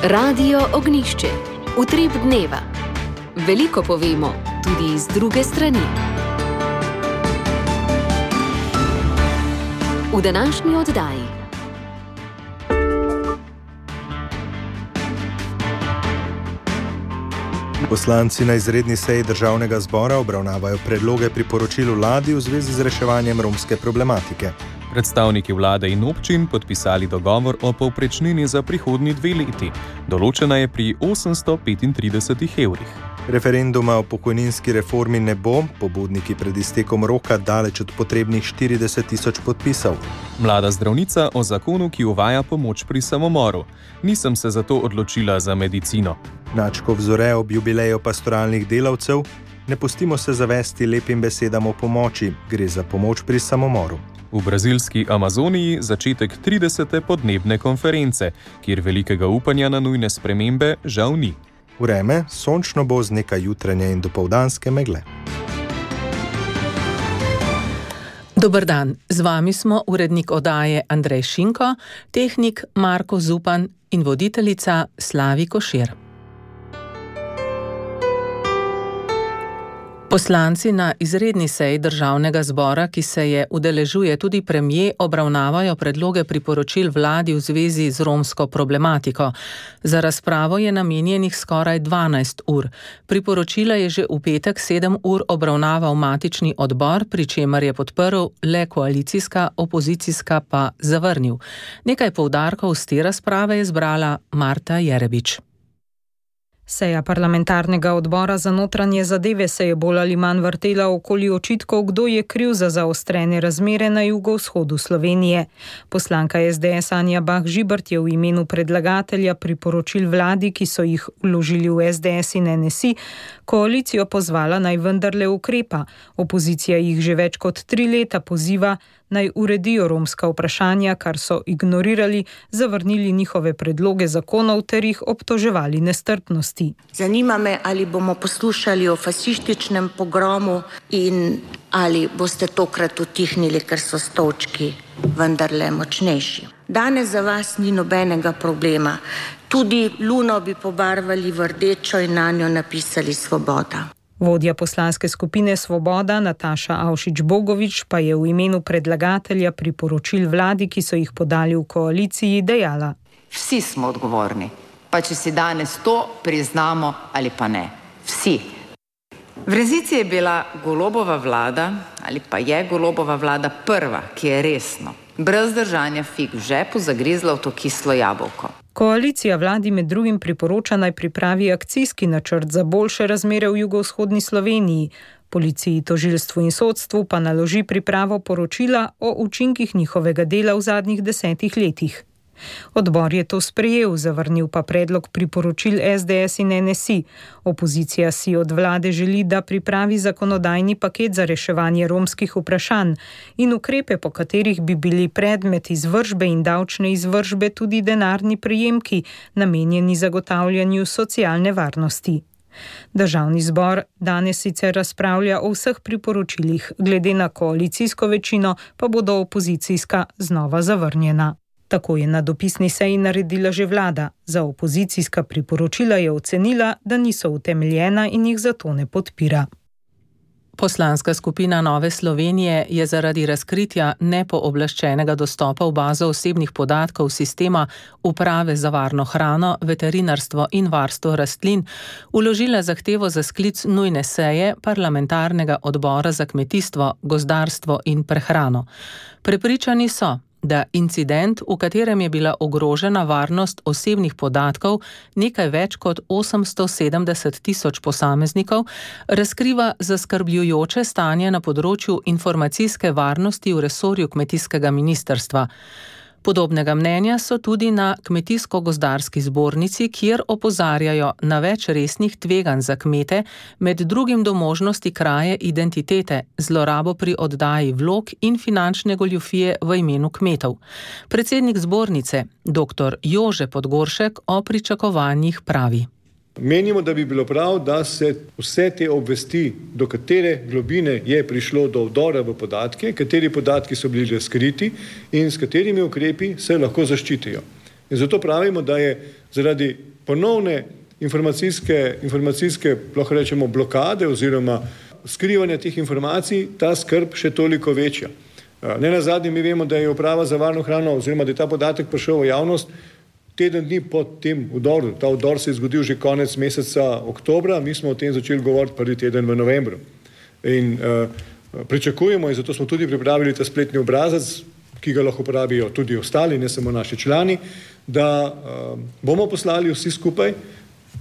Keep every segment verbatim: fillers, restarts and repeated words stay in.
Radio Ognjišče. Utrip dneva. Veliko povemo, tudi iz druge strani. V današnji oddaji. Poslanci na izredni seji Državnega zbora obravnavajo predloge priporočil vladi v zvezi z reševanjem romske problematike. Predstavniki vlade in občin podpisali dogovor o povprečnini za prihodnji dve leti. Določena je pri osemsto petintrideset evrih. Referenduma o pokojninski reformi ne bo, pobudniki pred iztekom roka daleč od potrebnih štirideset tisoč podpisov. Mlada zdravnica o zakonu, ki uvaja pomoč pri samomoru. Nisem se zato odločila za medicino. Načko vzore ob jubileju pastoralnih delavcev. Ne pustimo se zavesti lepim besedam o pomoči, gre za pomoč pri samomoru. V brazilski Amazoniji začetek tridesete podnebne konference, kjer velikega upanja na nujne spremembe žal ni. Vreme sončno bo z nekaj jutranje in dopoldanske megle. Dober dan, z vami smo urednik oddaje Andrej Šinko, tehnik Marko Zupan in voditeljica Slavi Košir. Poslanci na izredni seji Državnega zbora, ki se je udeležuje tudi premier, obravnavajo predloge priporočil vladi v zvezi z romsko problematiko. Za razpravo je namenjenih skoraj dvanajst ur. Priporočila je že v petek sedem ur obravnaval matični odbor, pri čemer je podprl le koalicijska, opozicijska pa zavrnil. Nekaj poudarkov z te razprave je zbrala Marta Jerebič. Seja parlamentarnega odbora za notranje zadeve se je bolj ali manj vrtela okoli očitkov, kdo je kriv za zaostrene razmere na jugovzhodu Slovenije. Poslanka es de es Anja Bah Žibert je v imenu predlagatelja priporočil vladi, ki so jih vložili v es de es in en es i, koalicijo pozvala naj vendarle ukrepa. Opozicija jih že več kot tri leta poziva, naj uredijo romska vprašanja, kar so ignorirali, zavrnili njihove predloge zakonov ter jih obtoževali nestrpnosti. Zanima me, ali bomo poslušali o fašističnem pogromu in ali boste tokrat utihnili, ker so stolčki vendarle močnejši. Danes za vas ni nobenega problema. Tudi luno bi pobarvali v rdečo in nanjo napisali Svoboda. Vodja poslanske skupine Svoboda Nataša Avšič-Bogovič pa je v imenu predlagatelja priporočil vladi, ki so jih podali v koaliciji, dejala: Vsi smo odgovorni, pa če si danes to priznamo ali pa ne. Vsi. V resnici je bila Golobova vlada ali pa je Golobova vlada prva, ki je resno, brez držanja fig v žepu, zagrizla v to kislo jabolko. Koalicija vladi med drugim priporoča naj pripravi akcijski načrt za boljše razmere v jugovzhodni Sloveniji. Policiji, tožilstvu in sodstvu pa naloži pripravo poročila o učinkih njihovega dela v zadnjih desetih letih. Odbor je to sprejel, zavrnil pa predlog priporočil es de es in en es i. Opozicija si od vlade želi, da pripravi zakonodajni paket za reševanje romskih vprašanj in ukrepe, po katerih bi bili predmet izvršbe in davčne izvršbe tudi denarni prejemki, namenjeni zagotavljanju socialne varnosti. Državni zbor danes sicer razpravlja o vseh priporočilih, glede na koalicijsko večino pa bodo opozicijska znova zavrnjena. Tako je na dopisni seji naredila že vlada. Za opozicijska priporočila je ocenila, da niso utemeljena in jih zato ne podpira. Poslanska skupina Nove Slovenije je zaradi razkritja nepooblaščenega dostopa v bazo osebnih podatkov sistema Uprave za varno hrano, veterinarstvo in varstvo rastlin vložila zahtevo za sklic nujne seje parlamentarnega odbora za kmetijstvo, gozdarstvo in prehrano. Prepričani so, da incident, v katerem je bila ogrožena varnost osebnih podatkov nekaj več kot osemsto sedemdeset tisoč posameznikov, razkriva zaskrbljujoče stanje na področju informacijske varnosti v resorju kmetijskega ministrstva. Podobnega mnenja so tudi na Kmetijsko-gozdarski zbornici, kjer opozarjajo na več resnih tveganj za kmete, med drugim do možnosti kraje identitete, zlorabo pri oddaji vlog in finančne goljufije v imenu kmetov. Predsednik zbornice, doktor Jože Podgoršek, o pričakovanjih pravi: Menimo, da bi bilo prav, da se vse te obvesti, do katere globine je prišlo do vdora v podatke, kateri podatki so bili razkriti in s katerimi ukrepi se lahko zaščitijo. In zato pravimo, da je zaradi ponovne informacijske, informacijske lahko rečemo, blokade oziroma skrivanja teh informacij ta skrb še toliko večja. Ne nazadnje mi vemo, da je Uprava za varno hrano oziroma da je ta podatek prišel v javnost teden dni po tem vdoru. Ta vdor se je zgodil že konec meseca oktobra, mi smo o tem začeli govoriti prvi teden v novembru. In uh, pričakujemo, in zato smo tudi pripravili ta spletni obrazec, ki ga lahko uporabijo tudi ostali, ne samo naši člani, da uh, bomo poslali vsi skupaj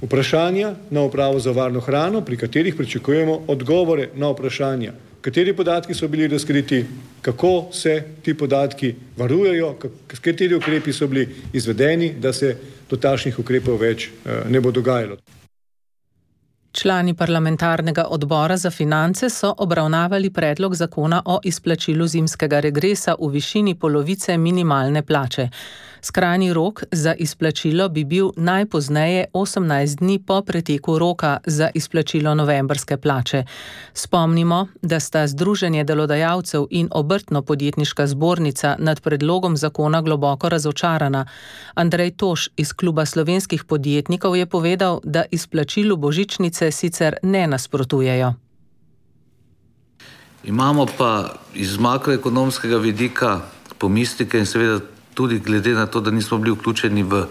vprašanja na Upravo za varno hrano, pri katerih pričakujemo odgovore na vprašanja. Kateri podatki so bili razkriti, kako se ti podatki varujejo, kateri ukrepi so bili izvedeni, da se do takšnih ukrepov več ne bo dogajalo. Člani parlamentarnega odbora za finance so obravnavali predlog zakona o izplačilu zimskega regresa v višini polovice minimalne plače. Skrajni rok za izplačilo bi bil najpozneje osemnajst dni po preteku roka za izplačilo novembrske plače. Spomnimo, da sta Združenje delodajalcev in Obrtno-podjetniška zbornica nad predlogom zakona globoko razočarana. Andrej Toš iz Kluba slovenskih podjetnikov je povedal, da izplačilu božičnice sicer ne nasprotujejo. Imamo pa iz makroekonomskega vidika pomisleke in seveda tudi glede na to, da nismo bili vključeni v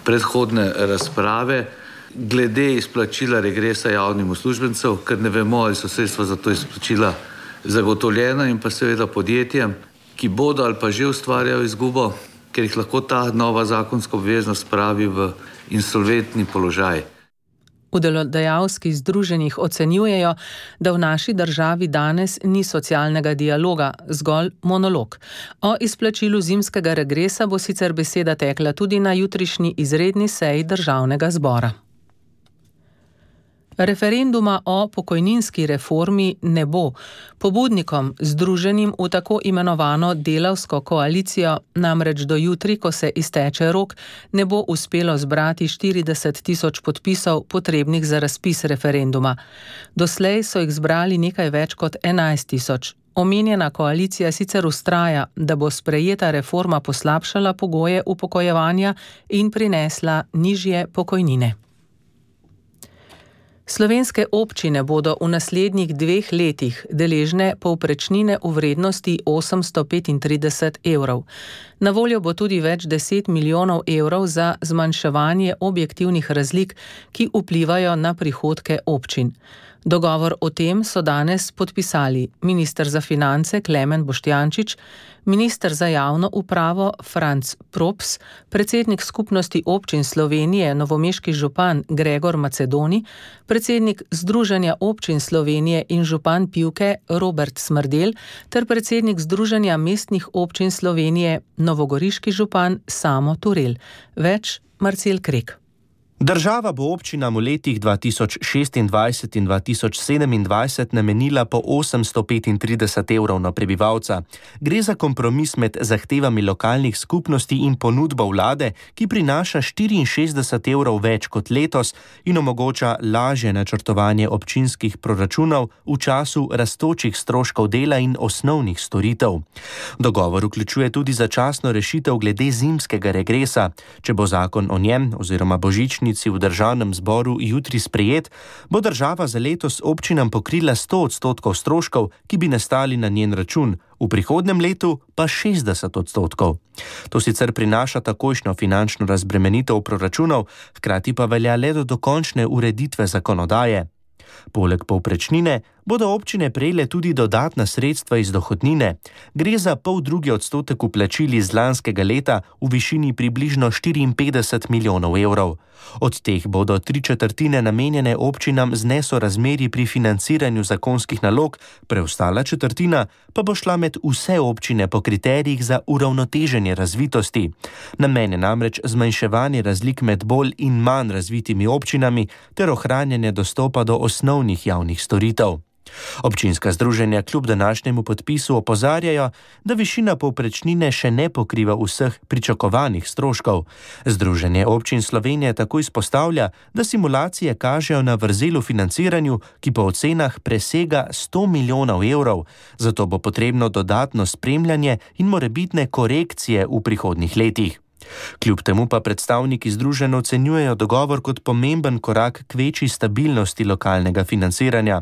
predhodne razprave, glede izplačila regresa javnim uslužbencev, ker ne vemo, ali so sredstva za to izplačila zagotovljena, in pa seveda podjetjem, ki bodo ali pa že ustvarjajo izgubo, ker jih lahko ta nova zakonska obveznost spravi v insolventni položaj. V delodajalskih združenjih ocenjujejo, da v naši državi danes ni socialnega dialoga, zgolj monolog. O izplačilu zimskega regresa bo sicer beseda tekla tudi na jutrišnji izredni seji Državnega zbora. Referenduma o pokojninski reformi ne bo. Pobudnikom, združenim v tako imenovano delavsko koalicijo, namreč do jutri, ko se izteče rok, ne bo uspelo zbrati štirideset tisoč podpisov potrebnih za razpis referenduma. Doslej so jih zbrali nekaj več kot enajst tisoč. Omenjena koalicija sicer vztraja, da bo sprejeta reforma poslabšala pogoje upokojevanja in prinesla nižje pokojnine. Slovenske občine bodo v naslednjih dveh letih deležne povprečnine v vrednosti osemsto petintrideset evrov. Na voljo bo tudi več deset milijonov evrov za zmanjševanje objektivnih razlik, ki vplivajo na prihodke občin. Dogovor o tem so danes podpisali minister za finance Klemen Boštjančič, minister za javno upravo Franc Props, predsednik skupnosti občin Slovenije novomeški župan Gregor Macedoni, predsednik Združenja občin Slovenije in župan Pivke Robert Smrdel ter predsednik Združenja mestnih občin Slovenije novogoriški župan Samo Turel. Več Marcel Krek. Država bo občinam v letih dva tisoč šestindvajset in dva tisoč sedemindvajset namenila po osemsto petintrideset evrov na prebivalca. Gre za kompromis med zahtevami lokalnih skupnosti in ponudbo vlade, ki prinaša štiriinšestdeset evrov več kot letos in omogoča lažje načrtovanje občinskih proračunov v času rastočih stroškov dela in osnovnih storitev. Dogovor vključuje tudi začasno rešitev glede zimskega regresa. Če bo zakon o njem oziroma božični v Državnem zboru jutri sprejet, bo država za letos občinam pokrila sto odstotkov stroškov, ki bi nastali na njen račun, v prihodnjem letu pa šestdeset odstotkov. To sicer prinaša takojšnjo finančno razbremenitev proračunov, hkrati pa velja le do dokončne ureditve zakonodaje. Poleg povprečnine bodo občine prejele tudi dodatna sredstva iz dohodnine. Gre za pol drugi odstotek vplačil iz lanskega leta v višini približno štiriinpetdeset milijonov evrov. Od teh bodo tri četrtine namenjene občinam z nesorazmerji pri financiranju zakonskih nalog, preostala četrtina pa bo šla med vse občine po kriterijih za uravnoteženje razvitosti. Namen je namreč zmanjševanje razlik med bolj in manj razvitimi občinami ter ohranjanje dostopa do osnovnih javnih storitev. Občinska združenja kljub današnjemu podpisu opozarjajo, da višina povprečnine še ne pokriva vseh pričakovanih stroškov. Združenje občin Slovenije tako izpostavlja, da simulacije kažejo na vrzel v financiranju, ki po ocenah presega sto milijonov evrov, zato bo potrebno dodatno spremljanje in morebitne korekcije v prihodnjih letih. Kljub temu pa predstavniki združenj ocenjujejo dogovor kot pomemben korak k večji stabilnosti lokalnega financiranja.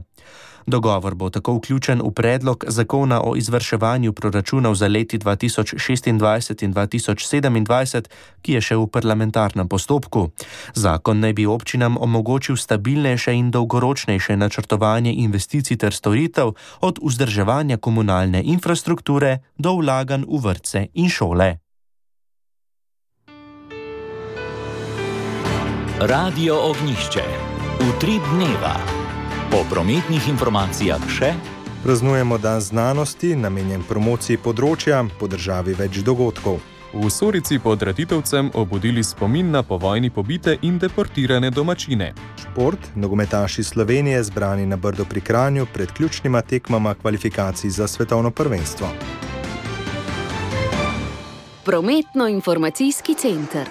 Dogovor bo tako vključen v predlog zakona o izvrševanju proračunov za leti dva tisoč šestindvajset in dva tisoč sedemindvajset, ki je še v parlamentarnem postopku. Zakon naj bi občinam omogočil stabilnejše in dolgoročnejše načrtovanje investicij ter storitev, od vzdrževanja komunalne infrastrukture do vlaganj v vrtce in šole. Radio Ognjišče. Utrip dneva. Po prometnih informacijah še praznujemo dan znanosti, namenjen promociji področja, po državi več dogodkov. V Sorici pod Ratitovcem obudili spomin na povojni pobite in deportirane domačine. Šport, nogometaši Slovenije zbrani na Brdu pri Kranju pred ključnima tekmama kvalifikacij za svetovno prvenstvo. Prometno-informacijski center.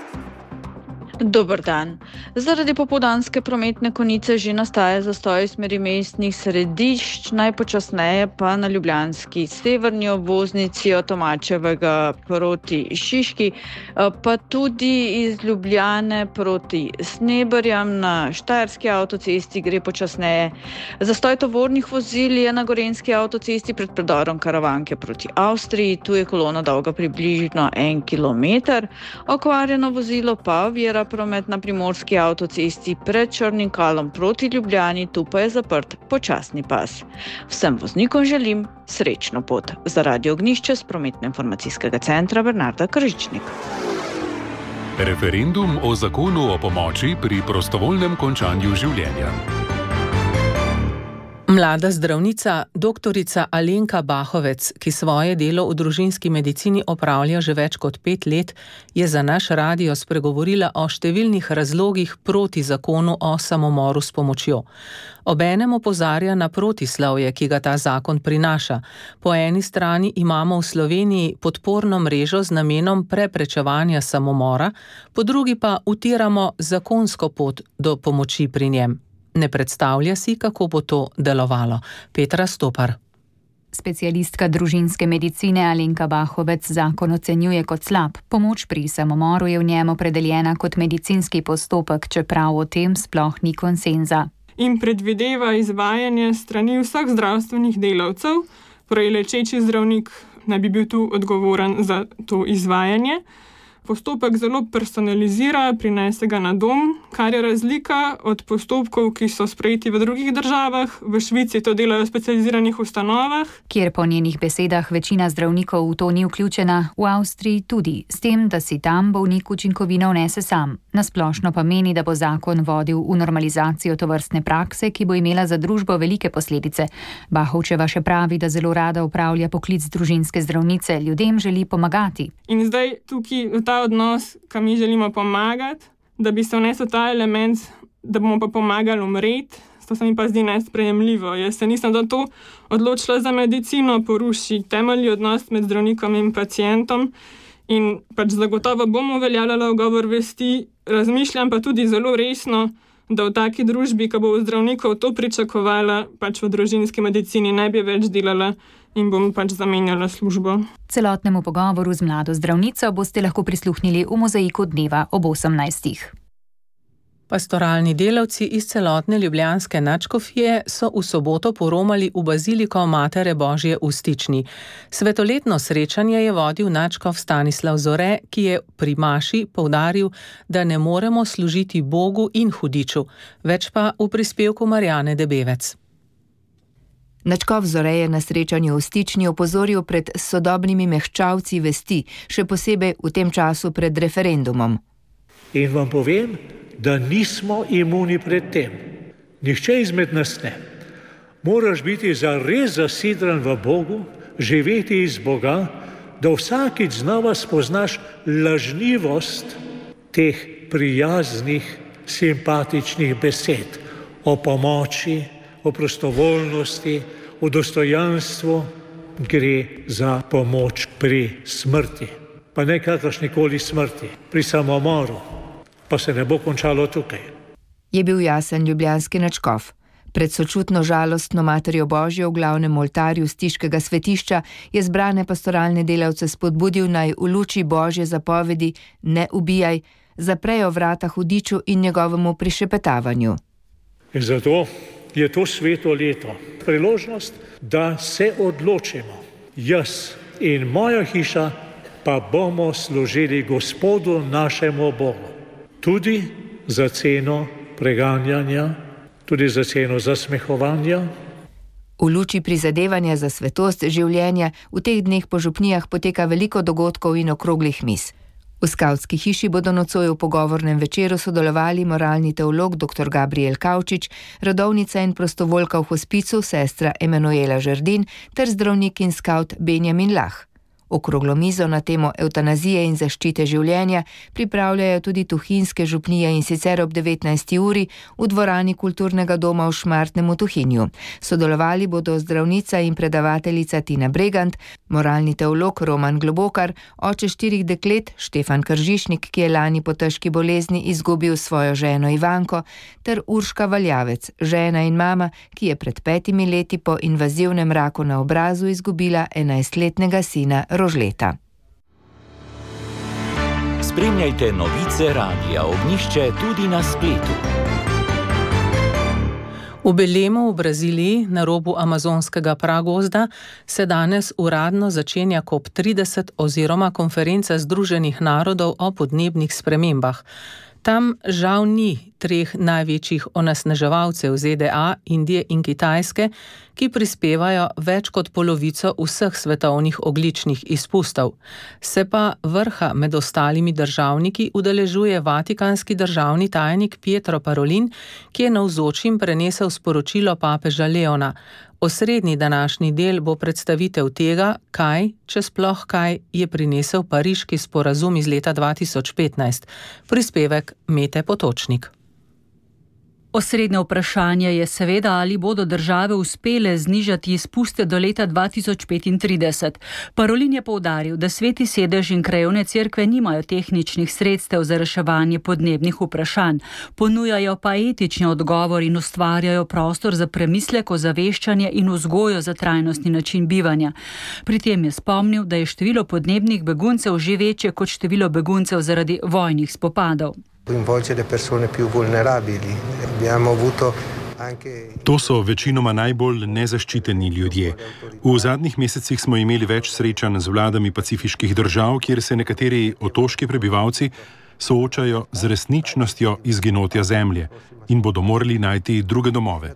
Dober dan. Zaradi popoldanske prometne konice že nastaja zastoj smeri mestnih središč, najpočasneje pa na ljubljanski severni obvoznici od Tomačevega proti Šiški, pa tudi iz Ljubljane proti Sneberjam na Štajerski avtocesti gre počasneje. Zastoj tovornih vozil je na Gorenjski avtocesti pred predorom Karavanke proti Avstriji, tu je kolona dolga približno en kilometer, okvarjeno vozilo pa ovira promet na Primorski avtocesti pred Črnim Kalom proti Ljubljani, tu pa je zaprt počasni pas. Vsem voznikom želim srečno pot. Za Radio Ognjišče z prometno-informacijskega centra Bernarda Kržičnik. Referendum o zakonu o pomoči pri prostovoljnem končanju življenja. Mlada zdravnica, doktorica Alenka Bahovec, ki svoje delo v družinski medicini opravlja že več kot pet let, je za naš radio spregovorila o številnih razlogih proti zakonu o samomoru s pomočjo. Obenem opozarja na protislovje, ki ga ta zakon prinaša. Po eni strani imamo v Sloveniji podporno mrežo z namenom preprečevanja samomora, po drugi pa utiramo zakonsko pot do pomoči pri njem. Ne predstavlja si, kako bo to delovalo. Petra Stopar. Specialistka družinske medicine Alenka Bahovec zakon ocenjuje kot slab. Pomoč pri samomoru je v njem opredeljena kot medicinski postopek, čeprav o tem sploh ni konsenza. In predvideva izvajanje strani vseh zdravstvenih delavcev, torej lečeči zdravnik naj bi bil tu odgovoren za to izvajanje. Postopek zelo personalizira, prinese ga na dom, kar je razlika od postopkov, ki so sprejeti v drugih državah. V Švici to delajo v specializiranih ustanovah, kjer po njenih besedah večina zdravnikov v to ni vključena, v Avstriji tudi, s tem, da si tam bolnik učinkovino vnese sam. Nasplošno pa meni, da bo zakon vodil v normalizacijo tovrstne prakse, ki bo imela za družbo velike posledice. Bahovčeva še pravi, da zelo rada upravlja poklic družinske zdravnice, ljudem želi pomagati. In zdaj tukaj v ta odnos, kam mi želimo pomagati, da bi se vnesel ta element, da bomo pa pomagali umreti, to se mi pa zdi nesprejemljivo. Jaz se nisem do to odločila za medicino, poruši temeljni odnos med zdravnikom in pacientom in pač zagotovo bomo uveljavljala ugovor vesti, razmišljam pa tudi zelo resno, da v taki družbi, ko bo zdravnikov to pričakovala, pač v družinski medicini ne bi več delala in bom pač zamenjala službo. Celotnemu pogovoru z mlado zdravnico boste lahko prisluhnili v mozaiku dneva ob osemnajstih. Pastoralni delavci iz celotne ljubljanske nadškofije so v soboto poromali v baziliko Matere Božje v Stični. Svetoletno srečanje je vodil nadškof Stanislav Zore, ki je pri maši poudaril, da ne moremo služiti Bogu in hudiču, več pa v prispevku Marjane Debevec. Nadškof Zore je na srečanju v Stični opozoril pred sodobnimi mehčavci vesti, še posebej v tem času pred referendumom. In vam povem, da nismo imuni pred tem. Nihče izmed nas ne. Moraš biti zares zasidran v Bogu, živeti iz Boga, da vsakič znova spoznaš lažnivost teh prijaznih, simpatičnih besed o pomoči, o prostovoljnosti, o dostojanstvu. Gre za pomoč pri smrti, pa ne kakršnikoli smrti, pri samomoru. Pa se ne bo končalo tukaj. Je bil jasen ljubljanski nadškof. Pred sočutno žalostno Materjo Božjo v glavnem oltarju Stiškega svetišča je zbrane pastoralne delavce spodbudil, naj v luči Božje zapovedi ne ubijaj, zaprejo vrata hudiču in njegovemu prišepetavanju. In zato je to sveto leto priložnost, da se odločimo. Jaz in moja hiša pa bomo služili Gospodu našemu Bogu. Tudi za ceno preganjanja, tudi za ceno zasmehovanja. V luči prizadevanja za svetost življenja v teh dneh po župnijah poteka veliko dogodkov in okroglih miz. V skavtski hiši bodo nocoj v pogovornem večeru sodelovali moralni teolog dr. Gabriel Kavčič, rodovnica in prostovoljka v hospicu sestra Emanuela Žerdin ter zdravnik in skavt Benjamin Lah. Okroglo mizo na temo evtanazije in zaščite življenja pripravljajo tudi tuhinjske župnije, in sicer ob devetnajsti uri v dvorani kulturnega doma v Šmartnem v Tuhinju. Sodelovali bodo zdravnica in predavateljica Tina Bregant, moralni teolog Roman Globokar, oče štirih deklet Štefan Kržišnik, ki je lani po težki bolezni izgubil svojo ženo Ivanko, ter Urška Valjavec, žena in mama, ki je pred petimi leti po invazivnem raku na obrazu izgubila enajstletnega sina Rožleta. Spremljajte novice Radia Ognjišče tudi na spletu. V Belemu v Braziliji, na robu amazonskega pragozda, se danes uradno začenja COP trideset oziroma konferenca Združenih narodov o podnebnih spremembah. Tam žal ni treh največjih onesnaževalcev Z D A, Indije in Kitajske, ki prispevajo več kot polovico vseh svetovnih ogljičnih izpustov. Se pa vrha med ostalimi državniki udeležuje vatikanski državni tajnik Pietro Parolin, ki je navzočim prenesel sporočilo papeža Leona. Osrednji današnji del bo predstavitev tega, kaj, če sploh kaj, je prinesel pariški sporazum iz leta dva tisoč petnajst. Prispevek Mete Potočnik. Osrednje vprašanje je seveda, ali bodo države uspele znižati izpuste do leta dva tisoč petintrideset. Parolin je poudaril, da sveti sedež in krajevne cerkve nimajo tehničnih sredstev za reševanje podnebnih vprašanj, ponujajo pa etični odgovor in ustvarjajo prostor za premislek, ozaveščanje in vzgojo za trajnostni način bivanja. Pri tem je spomnil, da je število podnebnih beguncev že večje kot število beguncev zaradi vojnih spopadov. To so večinoma najbolj nezaščiteni ljudje. V zadnjih mesecih smo imeli več srečanj z vladami pacifiških držav, kjer se nekateri otoški prebivalci soočajo z resničnostjo izginotja zemlje in bodo morali najti druge domove.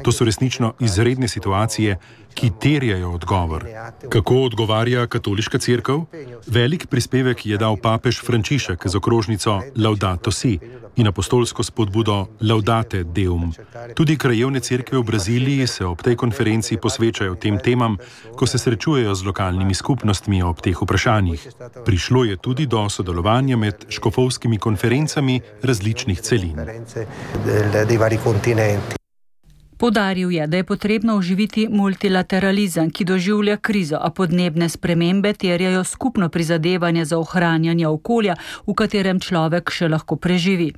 To so resnično izredne situacije, ki terjajo odgovor. Kako odgovarja katoliška cerkev? Velik prispevek je dal papež Frančišek z okrožnico Laudato Si in apostolsko spodbudo Laudate Deum. Tudi krajevne cerkve v Braziliji se ob tej konferenci posvečajo tem temam, ko se srečujejo z lokalnimi skupnostmi ob teh vprašanjih. Prišlo je tudi do sodelovanja med škofovskimi konferencami različnih celin. Poudaril je, da je potrebno oživiti multilateralizem, ki doživlja krizo, a podnebne spremembe terjajo skupno prizadevanje za ohranjanje okolja, v katerem človek še lahko preživi.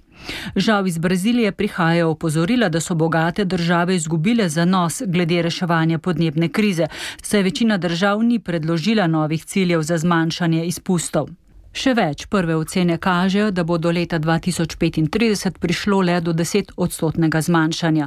Žal iz Brazilije prihajajo opozorila, da so bogate države izgubile zanos glede reševanja podnebne krize, saj večina držav ni predložila novih ciljev za zmanjšanje izpustov. Še več, prve ocene kažejo, da bo do leta dva tisoč petintrideset prišlo le do deset odstotnega zmanjšanja.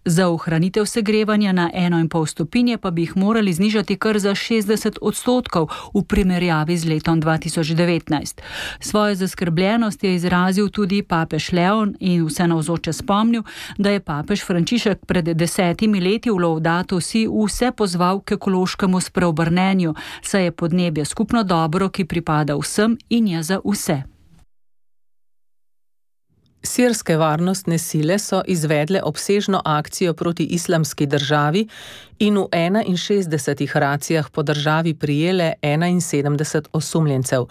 Za ohranitev segrevanja na eno in pol stopinje pa bi jih morali znižati kar za šestdeset odstotkov v primerjavi z letom dva tisoč devetnajst. Svojo zaskrbljenost je izrazil tudi papež Leon in vse navzoče spomnil, da je papež Frančišek pred desetimi leti v Laudato Si vse pozval k ekološkemu spreobrnenju, saj je podnebje skupno dobro, ki pripada vsem in je za vse. Sirske varnostne sile so izvedle obsežno akcijo proti islamski državi in v enainšestdesetih racijah po državi prijele enainsedemdeset osumljencev.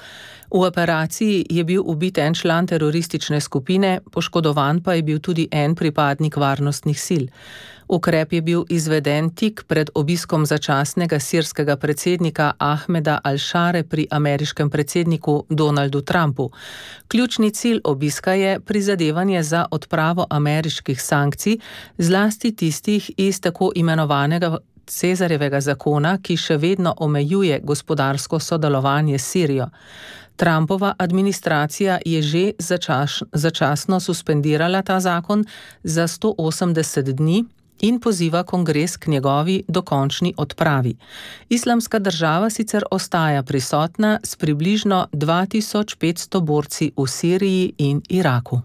V operaciji je bil ubit en član teroristične skupine, poškodovan pa je bil tudi en pripadnik varnostnih sil. Ukrep je bil izveden tik pred obiskom začasnega sirskega predsednika Ahmeda al-Šare pri ameriškem predsedniku Donaldu Trumpu. Ključni cilj obiska je prizadevanje za odpravo ameriških sankcij, zlasti tistih iz tako imenovanega Cezarjevega zakona, ki še vedno omejuje gospodarsko sodelovanje s Sirijo. Trumpova administracija je že začas, začasno suspendirala ta zakon za sto osemdeset dni in poziva kongres k njegovi dokončni odpravi. Islamska država sicer ostaja prisotna s približno dva tisoč petsto borci v Siriji in Iraku.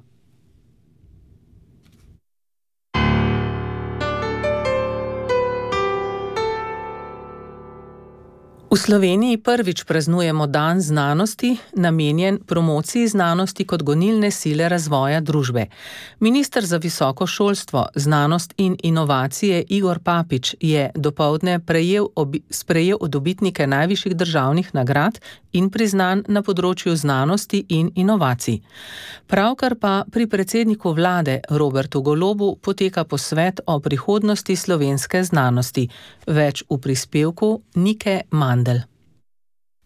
V Sloveniji prvič praznujemo Dan znanosti, namenjen promociji znanosti kot gonilne sile razvoja družbe. Minister za visoko šolstvo, znanost in inovacije Igor Papič je dopoldne prejel obi, sprejel dobitnike najvišjih državnih nagrad in priznanj na področju znanosti in inovacij. Pravkar pa pri predsedniku vlade Robertu Golobu poteka posvet o prihodnosti slovenske znanosti. Več v prispevku Nike Mandl.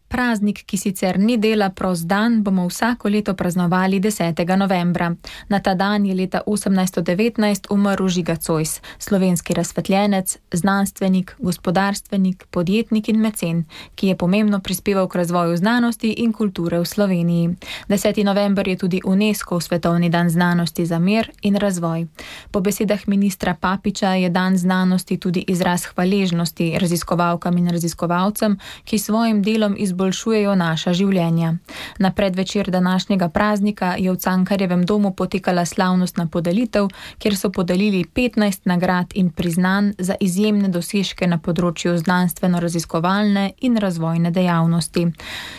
Praznik, ki sicer ni dela prost dan, bomo vsako leto praznovali desetega novembra. Na ta dan je leta osemnajststo devetnajst umrl Žiga Zois, slovenski razsvetljenec, znanstvenik, gospodarstvenik, podjetnik in mecen, ki je pomembno prispeval k razvoju znanosti in kulture v Sloveniji. deseti november je tudi UNESCO svetovni dan znanosti za mir in razvoj. Po besedah ministra Papiča je dan znanosti tudi izraz hvaležnosti raziskovalkam in raziskovalcem, ki svojim delom izboljšujejo naša življenja. Na predvečer današnjega praznika je v Cankarjevem domu potekala slavnostna podelitev, kjer so podelili petnajst nagrad in priznanj za izjemne dosežke na področju znanstveno-raziskovalne in razvojne dejavnosti.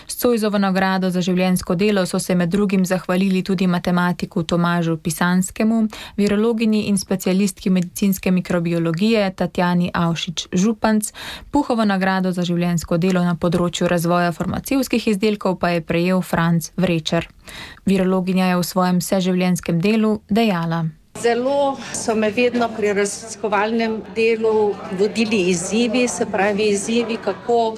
S Zoisovo nagrado za življenjsko delo so se med drugim zahvalili tudi matematiku Tomažu Pisanskemu, virologinji in specialistki medicinske mikrobiologije Tatjani Avšič-Županc, Puhovo nagrado za življenjsko delo na področju razvoja farmacevtskih izdelkov pa je prejel Franc Vrečer. Virologinja je v svojem vseživljenjskem delu dejala: Zelo so me vedno pri raziskovalnem delu vodili izzivi, se pravi izzivi, kako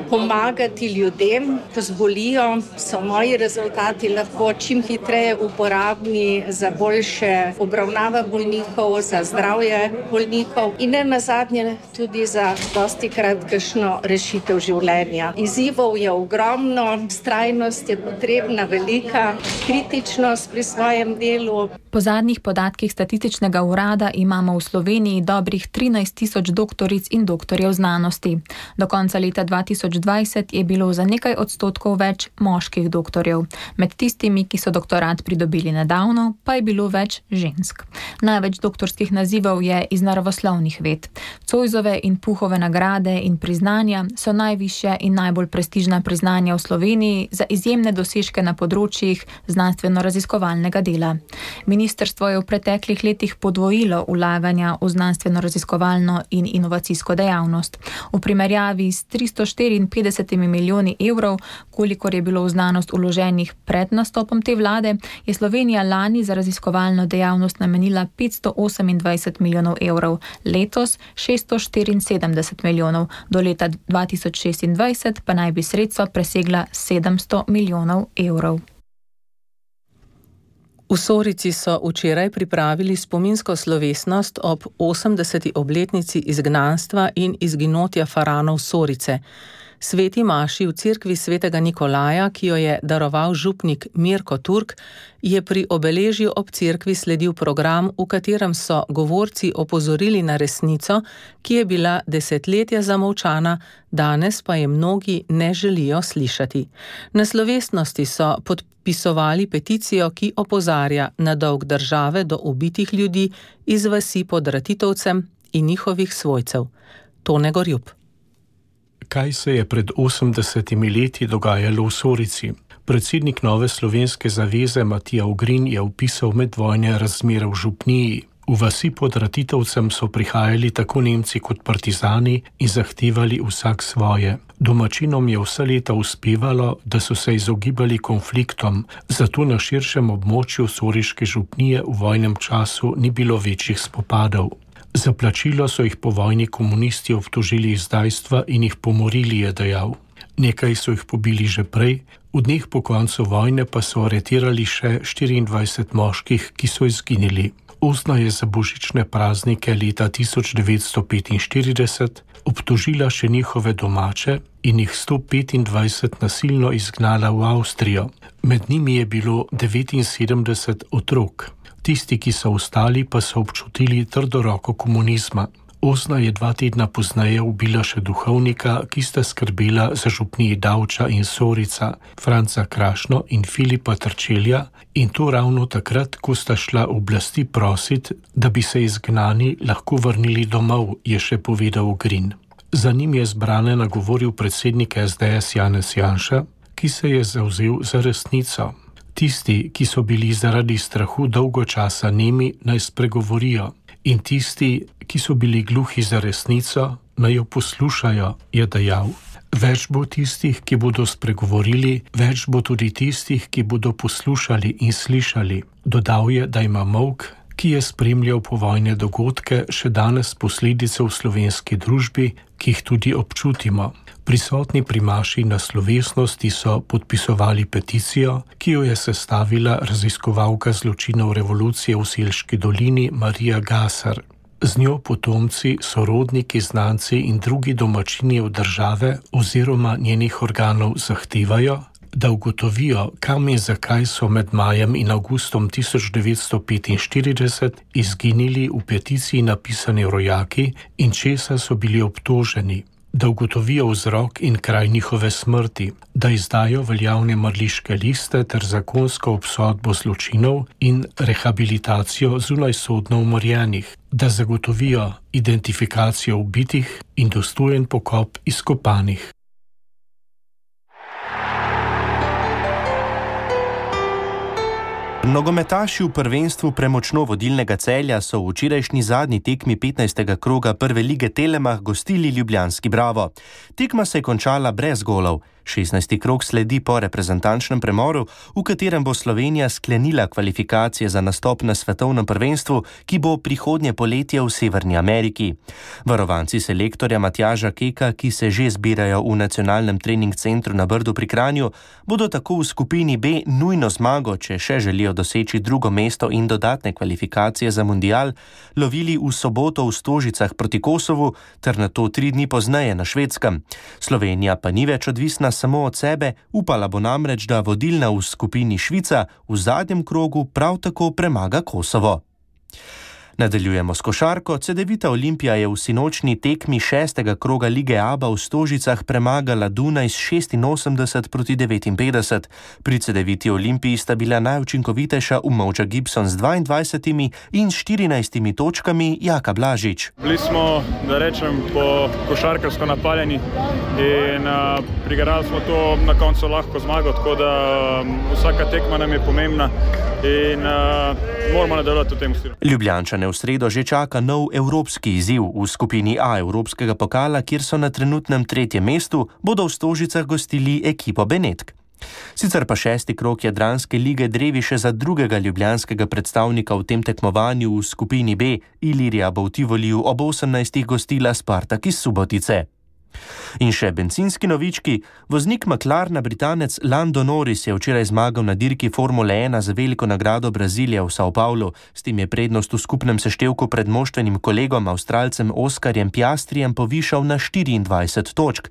pomagati ljudem, ko zbolijo, so moji rezultati lahko čim hitreje uporabni za boljše obravnava bolnikov, za zdravje bolnikov in ne nazadnje tudi za dostikrat kakšno rešitev življenja. Izzivov je ogromno, vztrajnost je potrebna velika, kritičnost pri svojem delu. Po zadnjih podatkih statističnega urada imamo v Sloveniji dobrih trinajst tisoč doktoric in doktorjev znanosti. Do konca leta dva tisoč dvajset je bilo za nekaj odstotkov več moških doktorjev. Med tistimi, ki so doktorat pridobili nedavno, pa je bilo več žensk. Največ doktorskih nazivov je iz naravoslovnih ved. Zoisove in Puhove nagrade in priznanja so najvišja in najbolj prestižna priznanja v Sloveniji za izjemne dosežke na področjih znanstveno-raziskovalnega dela. Ministrstvo je v preteklih letih podvojilo vlaganja v znanstveno-raziskovalno in inovacijsko dejavnost. V primerjavi s tristo štiriinpetdeset milijoni evrov, kolikor je bilo v znanost vloženih pred nastopom te vlade, je Slovenija lani za raziskovalno dejavnost namenila petsto osemindvajset milijonov evrov, letos šeststo štiriinsedemdeset milijonov, do leta dva tisoč šestindvajset pa naj bi sredstva presegla sedemsto milijonov evrov. V Sorici so včeraj pripravili spominsko slovesnost ob osemdeseti obletnici izgnanstva in izginotja faranov Sorice. Sveti maši v cerkvi svetega Nikolaja, ki jo je daroval župnik Mirko Turk, je pri obeležju ob cerkvi sledil program, v katerem so govorci opozorili na resnico, ki je bila desetletja zamolčana, danes pa je mnogi ne želijo slišati. Na slovesnosti so podpisovali peticijo, ki opozarja na dolg države do ubitih ljudi iz vasi pod Ratitovcem in njihovih svojcev. Tone Gorjup. Kaj se je pred osemdesetimi leti dogajalo v Sorici? Predsednik Nove slovenske zaveze Matija Ugrin je opisal medvojne razmere v župniji. V vasi pod Ratitovcem so prihajali tako Nemci kot partizani in zahtevali vsak svoje. Domačinom je vsa leta uspevalo, da so se izogibali konfliktom, zato na širšem območju Soriške župnije v vojnem času ni bilo večjih spopadov. Za plačilo so jih po vojni komunisti obtožili izdajstva in jih pomorili, je dejal. Nekaj so jih pobili že prej, v dneh po koncu vojne pa so aretirali še štiriindvajset moških, ki so izginili. Osna je za božične praznike leta tisoč devetsto petinštirideset obtožila še njihove domače in jih sto petindvajset nasilno izgnala v Avstrijo. Med njimi je bilo devetinsedemdeset otrok. Tisti, ki so ostali, pa so občutili trdo roko komunizma. Osna je dva tedna pozneje ubila še duhovnika, ki sta skrbela za župniji Davča in Sorica, Franca Krašno in Filipa Trčelja, in to ravno takrat, ko sta šla oblasti prosit, da bi se izgnani lahko vrnili domov, je še povedal Ogrin. Za njim je zbrane nagovoril predsednik es de es Janez Janša, ki se je zavzel za resnico. Tisti, ki so bili zaradi strahu dolgo časa nemi, naj spregovorijo. In tisti, ki so bili gluhi za resnico, naj jo poslušajo, je dejal. Več bo tistih, ki bodo spregovorili, več bo tudi tistih, ki bodo poslušali in slišali. Dodal je, da ima molk, ki je spremljal povojne dogodke, še danes posledice v slovenski družbi, ki jih tudi občutimo. Prisotni primaši na slovesnosti so podpisovali peticijo, ki jo je sestavila raziskovalka zločinov revolucije v Selški dolini Marija Gasar. Z njo potomci, sorodniki, znanci in drugi domačini od države oziroma njenih organov zahtevajo, da ugotovijo, kam in zakaj so med majem in avgustom tisoč devetsto petinštirideset izginili v peticiji napisani rojaki in česa so bili obtoženi, da ugotovijo vzrok in kraj njihove smrti, da izdajo veljavne mrliške liste ter zakonsko obsodbo zločinov in rehabilitacijo zunajsodno umorjenih, da zagotovijo identifikacijo ubitih in dostojen pokop izkopanih. Nogometaši v prvenstvu premočno vodilnega Celja so v včerajšnji zadnji tekmi petnajstega kroga prve lige Telemach gostili ljubljanski Bravo. Tekma se je končala brez golov. šestnajsti krog sledi po reprezentančnem premoru, v katerem bo Slovenija sklenila kvalifikacije za nastop na svetovnem prvenstvu, ki bo prihodnje poletje v Severni Ameriki. Varovanci selektorja Matjaža Keka, ki se že zbirajo v nacionalnem trening centru na Brdu pri Kranju, bodo tako v skupini B nujno zmago, če še želijo doseči drugo mesto in dodatne kvalifikacije za mundial, lovili v soboto v Stožicah proti Kosovu ter nato tri dni pozneje na Švedskem. Slovenija pa ni več odvisna samo od sebe, upala bo namreč, da vodilna v skupini Švica v zadnjem krogu prav tako premaga Kosovo. Nadaljujemo s košarko. Cedevita Olimpija je v sinočni tekmi šestega kroga lige Aba v Stožicah premagala Dunaj s šestinosemdeset proti devetinpetdeset. Pri Cedeviti Olimpiji sta bila najučinkovitejša Umovča Gibson z dvaindvajsetimi in štirinajstimi točkami, Jaka Blažič. Bili smo, da rečem, po košarkarsko napaljeni in uh, prigarali smo to na koncu lahko zmago, tako da um, vsaka tekma nam je pomembna in uh, moramo nadaljevati v tem stilu. Ljubljančane v sredo že čaka nov evropski izziv. V skupini A Evropskega pokala, kjer so na trenutnem tretjem mestu, bodo v Stožicah gostili ekipo Benetk. Sicer pa šesti krog Jadranske lige drevi še za drugega ljubljanskega predstavnika v tem tekmovanju v skupini B. Ilirija bo v Tivoliju ob osemnajstih gostila Spartak iz Subotice. In še bencinski novički. Voznik McLarena, Britanec Lando Norris, je včeraj zmagal na dirki Formule ena za veliko nagrado Brazilije v São Paulo. S tem je prednost v skupnem seštevku pred moštvenim kolegom, Avstralcem Oskarjem Piastrijem, povišal na štiriindvajset točk.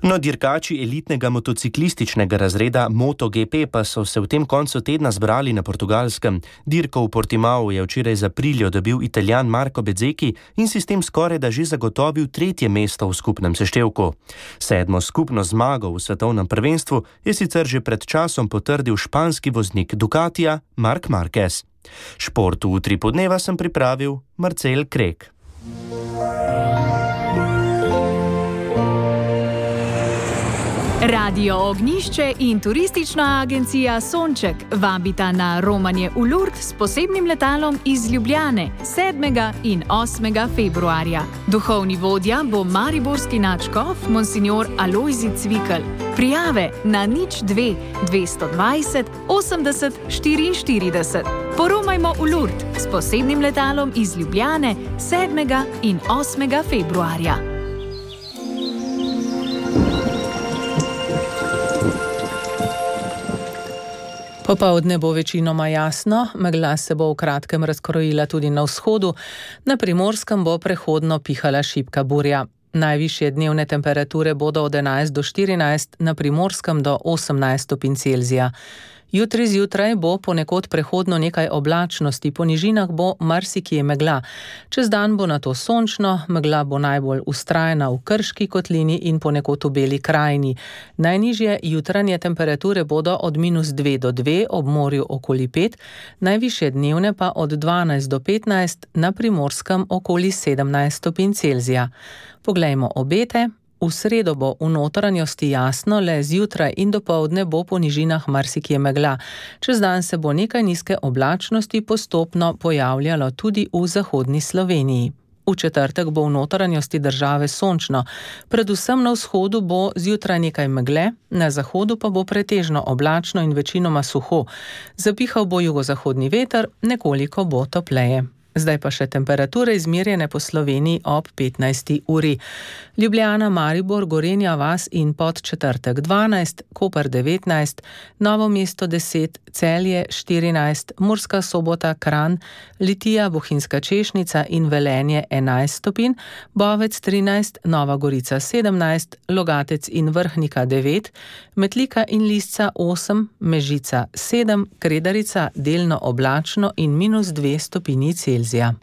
No, dirkači elitnega motociklističnega razreda MotoGP pa so se v tem koncu tedna zbrali na Portugalskem. Dirko v Portimao je včeraj za Aprilio dobil Italijan Marco Bezzecchi in si s tem skoraj da že zagotovil tretje mesto v skupnem seštevku. Sedmo skupno zmago v svetovnem prvenstvu je sicer že pred časom potrdil španski voznik Ducatija Marc Marquez. Šport v Utri podneva sem pripravil Marcel Krek. Radio Ognišče in turistična agencija Sonček vabita na romanje v Lourdes s posebnim letalom iz Ljubljane sedmega in osmega februarja. Duhovni vodja bo mariborski nadškof monsignor Alojzij Cvikl. Prijave na nič dve dvesto dvajset osemdeset štiriinštirideset. Poromajmo v Lourdes s posebnim letalom iz Ljubljane sedmega in osmega februarja. Popoldne bo večinoma jasno, megla se bo v kratkem razkrojila tudi na vzhodu, na Primorskem bo prehodno pihala šibka burja. Najvišje dnevne temperature bodo od enajst do štirinajst, na Primorskem do osemnajst stopinj Celzija. Jutri zjutraj bo ponekod prehodno nekaj oblačnosti, po nižinah bo marsikje megla. Čez dan bo nato sončno, megla bo najbolj vztrajna v Krški kotlini in ponekod v Beli krajini. Najnižje jutranje temperature bodo od minus dve do dve, ob morju okoli pet, najvišje dnevne pa od dvanajst do petnajst, na Primorskem okoli sedemnajst stopinj Celzija. Poglejmo obete. V sredo bo v notranjosti jasno, le zjutraj in dopoldne bo po nižinah marsikje megla. Čez dan se bo nekaj nizke oblačnosti postopno pojavljalo tudi v zahodni Sloveniji. V četrtek bo v notranjosti države sončno. Predvsem na vzhodu bo zjutraj nekaj megle, na zahodu pa bo pretežno oblačno in večinoma suho. Zapihal bo jugozahodni veter, nekoliko bo topleje. Zdaj pa še temperature izmerjene po Sloveniji ob petnajsti uri. Ljubljana, Maribor, Gorenja vas in Podčetrtek dvanajst, Koper devetnajst, Novo mesto deset, Celje štirinajst, Murska Sobota, Kranj, Litija, Bohinjska Češnica in Velenje enajst stopinj, Bovec trinajst, Nova Gorica sedemnajst, Logatec in Vrhnika devet, Metlika in Lisca osem, Mežica sedem, Kredarica delno oblačno in minus dve stopinji Celzija.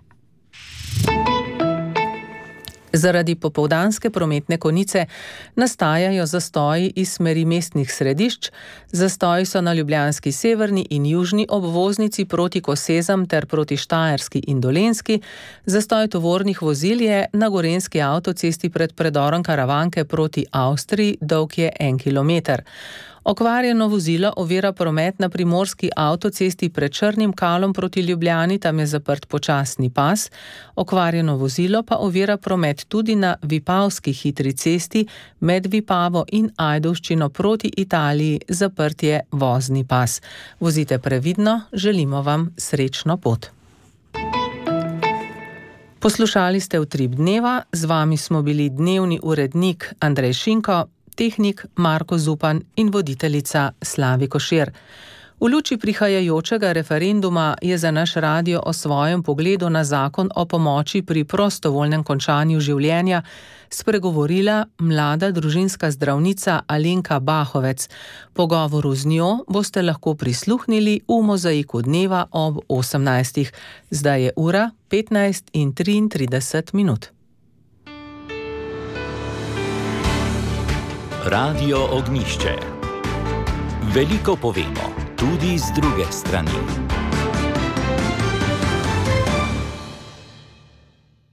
Zaradi popoldanske prometne konice nastajajo zastoji iz smeri mestnih središč. Zastoji so na ljubljanski severni in južni obvoznici proti Kosezam ter proti Štajerski in Dolenjski. Zastoj tovornih vozil je na gorenjski avtocesti pred predorom Karavanke proti Avstriji, dolg je en kilometer. Okvarjeno vozilo ovira promet na primorski avtocesti pred Črnim Kalom proti Ljubljani, tam je zaprt počasni pas. Okvarjeno vozilo pa ovira promet tudi na Vipavski hitri cesti med Vipavo in Ajdovščino proti Italiji, zaprt je vozni pas. Vozite previdno, želimo vam srečno pot. Poslušali ste Utrip dneva, z vami smo bili dnevni urednik Andrej Šinko, tehnik Marko Zupan in voditeljica Slavi Košir. V luči prihajajočega referenduma je za naš radio o svojem pogledu na zakon o pomoči pri prostovoljnem končanju življenja spregovorila mlada družinska zdravnica Alenka Bahovec. Pogovoru z njo boste lahko prisluhnili v Mozaiku dneva ob osemnajstih. Zdaj je ura petnajst in triintrideset minut. Radio Ognišče. Veliko povemo, tudi z druge strani.